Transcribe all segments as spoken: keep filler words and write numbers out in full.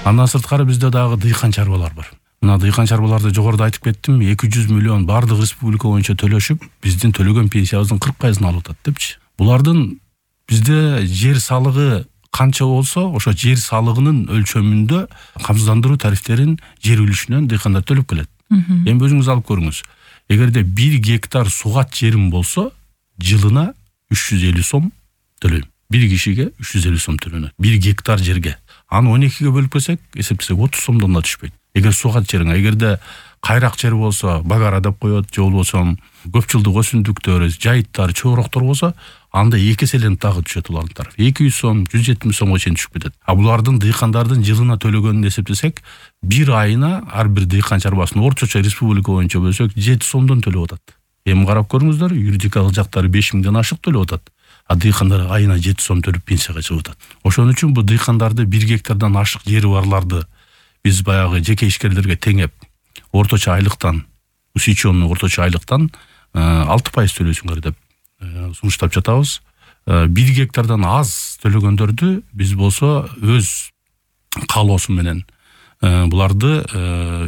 Андан сырткары бизде дагы дыйкан чарбалар бар. Мына дыйкан чарбаларды жогоруда айтып кеттим, эки жүз миллион бардык республика боюнча төлөшүп, биздин төлөгөн пенсиябыздын кырк пайызын алып атат депчи. Булардын бизде жер салыгы канча болсо, ошо жер салыгынын өлчөмүндө камсыздандыруу тарифтерин жер үлүшүнөн дыйкандар төлөп келет. Эми өзүңүз алып көрүңүз. Эгерде бир гектар сугат жерим болсо, жылына үч жүз элүү сом төлөйм. Бир кишиге үч жүз элүү сом төлөнөт. бир гектар жерге. Аны он экиге бөлүп келсек, эсептесек отуз сомдон да түшпөйт. Эгер сугат жериң, эгерде кайрак жер болсо, багара деп коет, же болбосо көп жылдык өсүмдүктөр, жайыттар, чоороктор болсо, анда эки эселенип дагы түшөт улардын тарапы. эки жүз сом, жүз жетимиш сомго чейин түшүп кетет. А булардын дыйкандардын жылына төлөгөнүн эсептесек, бир айына ар бир дыйкан чарбасына орточо республика боюнча бөлсөк жети сомдон төлөп атат. Эми карап көрүңүздөр, юридикалык жактары беш миңден ашык төлөп атат. А дыйкандар айына жети сом төлөп пенсияга чыгып атат. Ошон үчүн бу дыйкандарды бир гектардан ашык жери барларды биз баягы жеке ишкерлерге теңеп, орточо айлыктан, усечённый орточо айлыктан алты пайыз төлөйсүңөр деп сунуштап жатабыз. бир гектардан аз төлөгөндөрдү биз болсо өз каалоосу менен буларды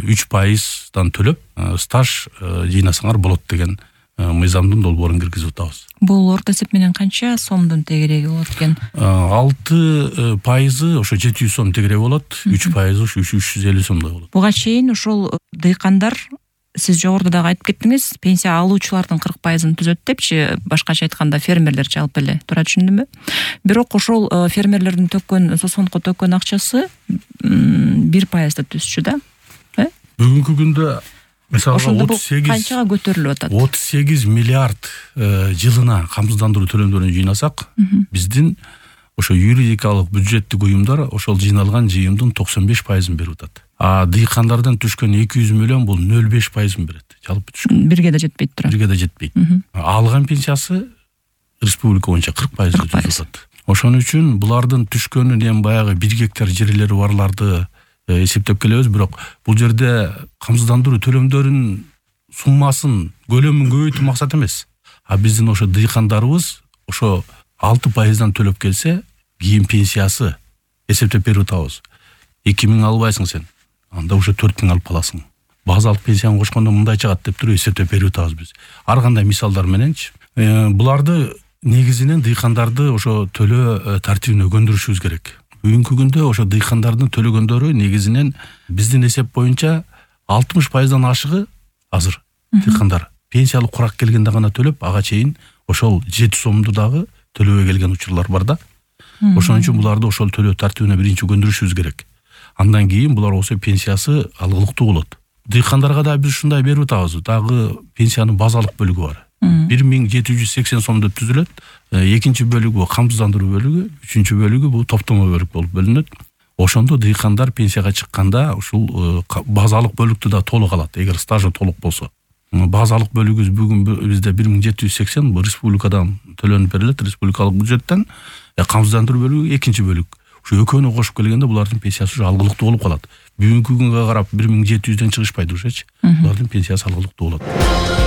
үч пайыздан төлөп стаж жыйнасаңар болот деген мыйзамдын долбоорун киргизип атабыз. Бул орто эсеп менен канча сомдун тегереги болот экен? алты пайызы ошо жети жүз сом тегереги болот, үч пайызы ушу үч жүз элүү сомдой болот. Буга чейин ошол дыйкандар, сиз жогоруда дагы айтып кеттиңиз, пенсия алуучулардын кырк пайызын түзөт депчи, башкача айтканда фермерлер жалпы эле, туура түшүндүмбү? Бирок ошол фермерлердин төккөн, сосонко төккөн акчасы бир пайызды түзчү да, э? Бүгүнкү күндө мисалга отуз сегиз канчага көтөрүлүп атат? отуз сегиз миллиард жылына камсыздандыруу төлөмдөрүн жыйнасак, биздин ошо юридикалык бюджеттик уюмдар ошол жыйналган жыйымдын токсон беш пайызын берип атат. А дыйкандардан түшкөн эки жүз миллион бул нөл беш пайызын берет. Жалпы түшкөн. Бирге да жетпейт тура. Бирге да жетпейт. Алган пенсиясы республика боюнча кырк пайызды түзүп атат. Ошон үчүн булардын түшкөнүн эми баягы бир гектар жерлери барларды эсептеп келебиз, бирок бул жерде камсыздандыруу төлөмдөрүнүн суммасын, көлөмүн көбөйтүү максат эмес. А биздин ошо дыйкандарыбыз ошо алты пайыздан төлөп келсе, кийин пенсиясы эсептеп берип атабыз. эки миң албайсың сен, анда уже төрт миң алып каласың. Базалык пенсияны кошкондо мындай чыгат деп туруп эсептеп берип атабыз биз. Ар кандай мисалдар мененчи. Буларды негизинен дыйкандарды ошо төлөө тартибине көндүрүшүбүз керек. Бүгүнкү күндө ошо дыйкандардын төлөгөндөрү негизинен биздин эсеп боюнча алтымыш пайыздан ашыгы азыр дыйкандар пенсиялык курак келгенде гана төлөп, ага чейин ошол жети сомду дагы төлөбөй келген учурлар бар да. Ошон үчүн буларды ошол төлөө тартибине биринчи көндүрүшүбүз керек. Андан кийин булар болсо пенсиясы алгылыктуу болот. Дыйкандарга да биз ушундай берип атабыз. Дагы пенсиянын базалык бөлүгү бар. бир миң жети жүз сексен сом деп түзүлөт. Экинчи бөлүгү камсыздандыруу бөлүгү, үчүнчү бөлүгү бул топтомо бөлүк болуп бөлүнөт. Ошондо дыйкандар пенсияга чыкканда ушул базалык бөлүктү да толук алат, эгер стажы толук болсо. Базалык бөлүгүбүз бүгүн бизде бир миң жети жүз сексен республикадан төлөнүп берилет, республикалык бюджеттен. Камсыздандыруу бөлүгү экинчи бөлүк. Ушу экөөнү кошуп келгенде булардын пенсиясы ушу алгылыктуу болуп калат. Бүгүнкү күнгө карап бир миң жети жүздөн чыгышпайт ушечи. Булардын пенсиясы алгылыктуу болот.